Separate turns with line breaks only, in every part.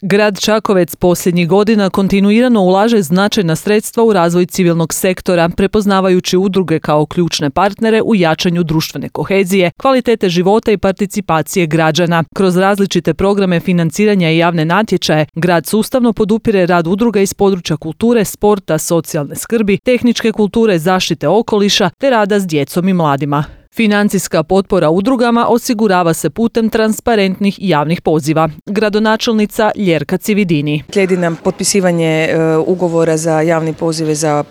Grad Čakovec posljednjih godina kontinuirano ulaže značajna sredstva u razvoj civilnog sektora, prepoznavajući udruge kao ključne partnere u jačanju društvene kohezije, kvalitete života i participacije građana. Kroz različite programe financiranja i javne natječaje, grad sustavno podupire rad udruga iz područja kulture, sporta, socijalne skrbi, tehničke kulture, zaštite okoliša te rada s djecom i mladima. Financijska potpora udrugama osigurava se putem transparentnih javnih poziva. Gradonačelnica Ljerka Cividini.
Slijedi nam potpisivanje ugovora za javne pozive za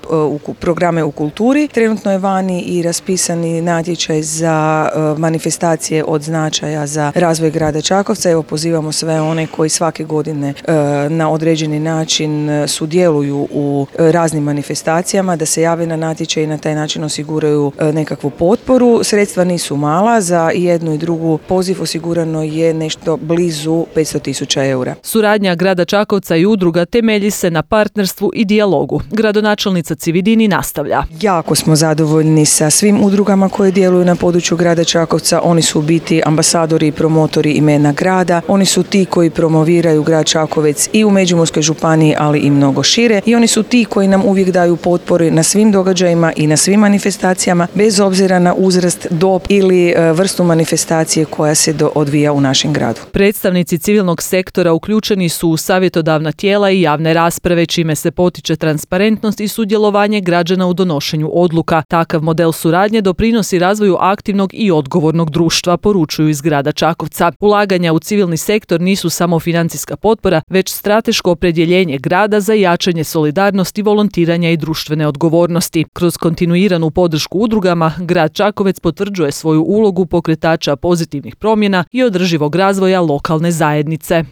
programe u kulturi. Trenutno je vani i raspisani natječaj za manifestacije od značaja za razvoj grada Čakovca. Evo, pozivamo sve one koji svake godine na određeni način sudjeluju u raznim manifestacijama da se jave na natječaj i na taj način osiguraju nekakvu potporu. Sredstva nisu mala, za jednu i drugu poziv osigurano je nešto blizu 500.000 eura.
Suradnja grada Čakovca i udruga temelji se na partnerstvu i dijalogu. Gradonačelnica Cividini nastavlja.
Jako smo zadovoljni sa svim udrugama koje djeluju na području grada Čakovca. Oni su u biti ambasadori i promotori imena grada. Oni su ti koji promoviraju grad Čakovec i u Međimurskoj županiji, ali i mnogo šire. I oni su ti koji nam uvijek daju potporu na svim događajima i na svim manifestacijama, bez obzira na uzrast, dob ili vrstu manifestacije koja se odvija u našem gradu.
Predstavnici civilnog sektora uključeni su u savjetodavna tijela i javne rasprave, čime se potiče transparentnost i sudjelovanje građana u donošenju odluka. Takav model suradnje doprinosi razvoju aktivnog i odgovornog društva, poručuju iz grada Čakovca. Ulaganja u civilni sektor nisu samo financijska potpora, već strateško opredjeljenje grada za jačanje solidarnosti, volontiranja i društvene odgovornosti. Kroz kontinuiranu podršku udrugama, grad Čakovec potvrđuje svoju ulogu pokretača pozitivnih promjena i održivog razvoja lokalne zajednice.